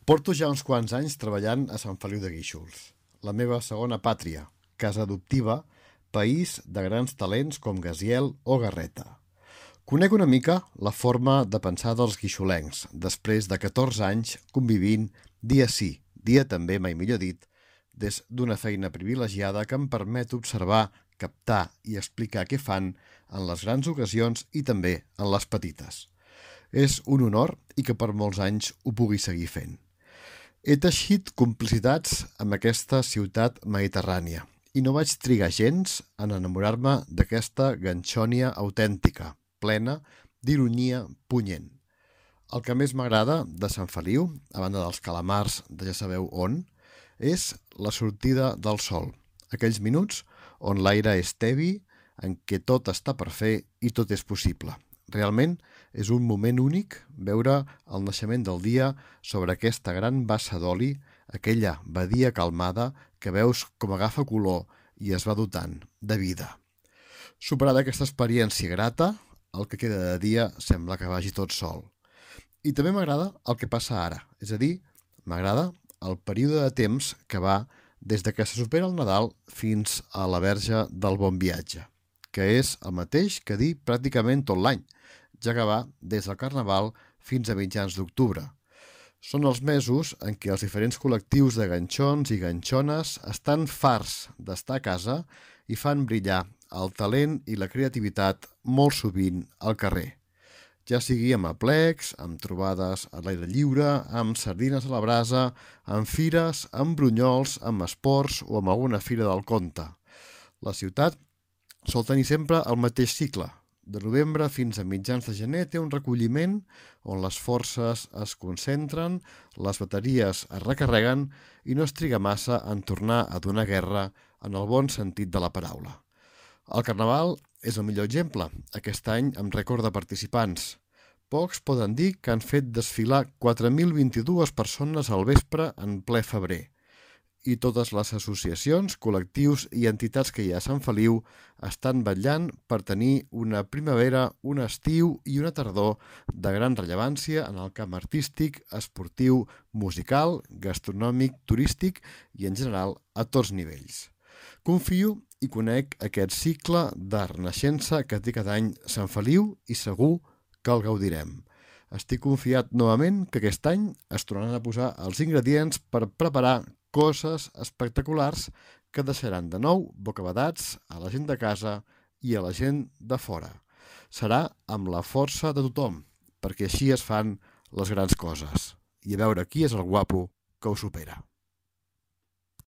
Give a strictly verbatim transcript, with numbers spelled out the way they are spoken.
Porto ja uns quants anys treballant a Sant Feliu de Guíxols, la meva segona pàtria, casa adoptiva, país de grans talents com Gaziel o Garreta. Conec una mica la forma de pensar dels guixolencs, després de catorze anys convivint dia sí, dia també, mai millor dit, des d'una feina privilegiada que em permet observar, captar i explicar què fan en les grans ocasions i també en les petites. És un honor i que per molts anys ho pugui seguir fent. He teixit complicitats amb aquesta ciutat mediterrània i no vaig trigar gens en enamorar-me d'aquesta ganxònia autèntica, plena d'ironia punyent. El que més m'agrada de Sant Feliu, a banda dels calamars de ja sabeu on, és la sortida del sol, aquells minuts on l'aire és tebi, en què tot està per fer i tot és possible. Realment és un moment únic veure el naixement del dia sobre aquesta gran bassa d'oli, aquella badia calmada que veus com agafa color i es va dotant de vida. Superada aquesta experiència grata, el que queda de dia sembla que vagi tot sol. I també m'agrada el que passa ara, és a dir, m'agrada el període de temps que va des de que se supera el Nadal fins a la Verge del Bon Viatge, que és el mateix que dir pràcticament tot l'any, ja que va des del Carnaval fins a mitjans d'octubre. Són els mesos en què els diferents col·lectius de ganxons i ganxones estan farts d'estar a casa i fan brillar el talent i la creativitat molt sovint al carrer. Ja sigui amb aplecs, amb trobades a l'aire lliure, amb sardines a la brasa, amb fires, amb brunyols, amb esports o amb alguna fira del conte. La ciutat sol tenir sempre el mateix cicle. De novembre fins a mitjans de gener té un recolliment on les forces es concentren, les bateries es recarreguen i no es triga massa en tornar a donar guerra en el bon sentit de la paraula. El Carnaval és el millor exemple, aquest any amb rècord de participants. Pocs poden dir que han fet desfilar quatre mil vint-i-dues persones al vespre en ple febrer. I totes les associacions, col·lectius i entitats que hi ha a Sant Feliu estan vetllant per tenir una primavera, un estiu i una tardor de gran rellevància en el camp artístic, esportiu, musical, gastronòmic, turístic i en general a tots nivells. Confio i conec aquest cicle de renaixença que té cada any Sant Feliu i segur que el gaudirem. Estic confiat novament que aquest any es tornaran a posar els ingredients per preparar coses espectaculars que deixaran de nou bocabadats a la gent de casa i a la gent de fora. Serà amb la força de tothom, perquè així es fan les grans coses. I a veure qui és el guapo que ho supera.